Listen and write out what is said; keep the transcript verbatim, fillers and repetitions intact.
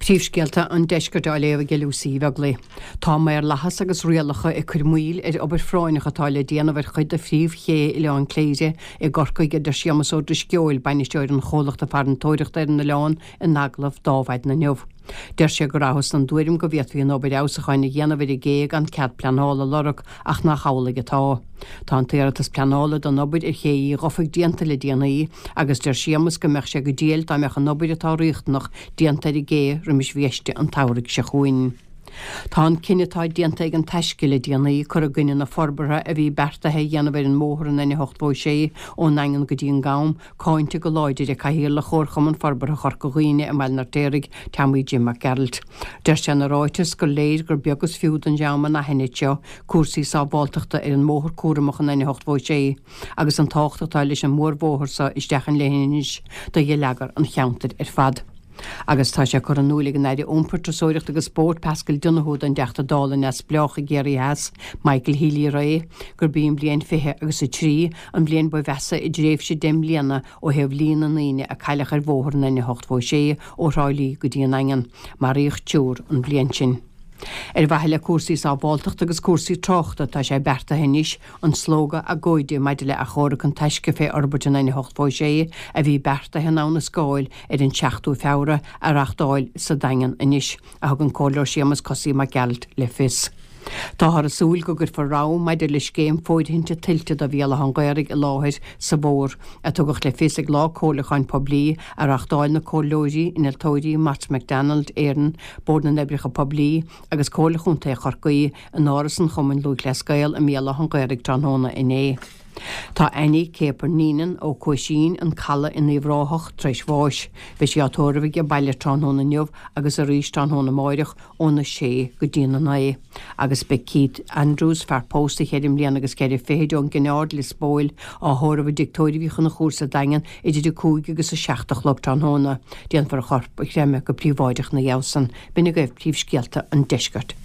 Príomhscéalta an deiscirt á léamh ag Lucy Beagley. Tá maorlathas agus rialacha ag cur moill ar obair phráinneach atá le déanamh ar chuid de phríomhché Oileán Cléire i gCorcaigh a deir Séamus Ó Drisceoil, bainisteoir an chomhlachta farantóireachta ar an oileán in agallamh d'Adhmhaidin inniu. Deir sé go rabhthas den tuairim go bhféadfaí an obair fheabhsúcháin a dhéanamh ar an gcé gan cead pleanála a lorg ach nach amhlaidh atá. Tá an t-iarratas pleanála don obair ar Ché Uí Dhufaigh déanta le déanaí agus deir Séamus go mbeadh sé go diail dá mbeadh an obair atá riachtanach déanta ar an gcé roimis bhiaiste an tsamhraidh seo chugainn. Tá an cinneadh atá déanta ag an Taisce le déanaí cur i gcoinne na forbartha a bhí beartaithe a dhéanamh ar an mbóthar an N ochtó sé ón nDaingean go dtí an Gam, cáinte go láidir ag Cathaoirleach Chomharchumann Forbartha Chorca Dhuibhne i mBaile an Fheirtéaraigh, Tommy Jim Mac Gearailt. Deir sé ina ráiteas gur léir gur beag is fiú don dream anaithnid seo cúrsaí sábháilteachta ar an mbóthar cúramach an N ochtó sé, agus an tábhacht atá leis an mórbhóthar seo isteach an leithinis do gheilleagar an cheantair ar fad. Agus tá sé curtha in iúl ag an Aire Iompair, Turasóireachta agus Spóirt Paschal Donohoe don dTeachta Dála neamhspleách i gCiarraí Theas, Michael Healy-Rae, gurb í an bhliain fiche agus a trí an bhliain ba mheasa i dtréimhse deich mbliana ó thaobh líon na ndaoine a cailleadh ar bhóthar an N ochtó sé ó Thrá Lí go dtí an Daingean. Maraíodh triúr an bhliain sin. Ar mhaithe le cúrsaí sábháilteachta agus cúrsaí tráchta tá sé beartaithe anois an slógadh agóide maidir le achomharc an Taisce fé fhorbairt an N ochtó sé a bhí beartaithe in Abha na Scáil ar an seachtú Feabhra a reáchtáil sa Daingean anois, a thug an Comhairleoir Séamus Cosaí Mac Gearailt le fios. Táthar ag súil go gcuirfear rabhadh maidir le scéim fóirithinte tuilte do Bhéal Átha an Ghaorthaidh i láthair sa bhfómhar, a tugadh le fios ag lá comhairliúcháin poiblí a reáchtáil na comhairleoirí, innealtóirí Mott MacDonald Éireann, Bord na nOibreacha Poiblí agus Comhairle Chontae Chorcaí in Áras an Chumainn Lúthchleas Gael i mBéal Átha an Ghaorthaidh tráthnóna inné. Tá Annie Céapair Neenan ó Cuaisín an Caladh in Uíbh Ráthach tar éis bháis. Beidh sí á tórramh age baile tráthnóna inniu agus arís tráthnóna amáireach óna sé go dtí a naoi. Agus beidh Keith Andrews, fear pósta cheithre mbliana agus ceithre fichid ón gCinn Aird Lios Póil á thórramh i dtigh tórraimh Uí Chonchúir sa Daingean idir a cúig agus a seacht a chlog tráthnóna. Déanfar a chorp a chreimeadh go príobháideach ina dhiaidh san. B'in agaibh príomhscéalta an deiscirt.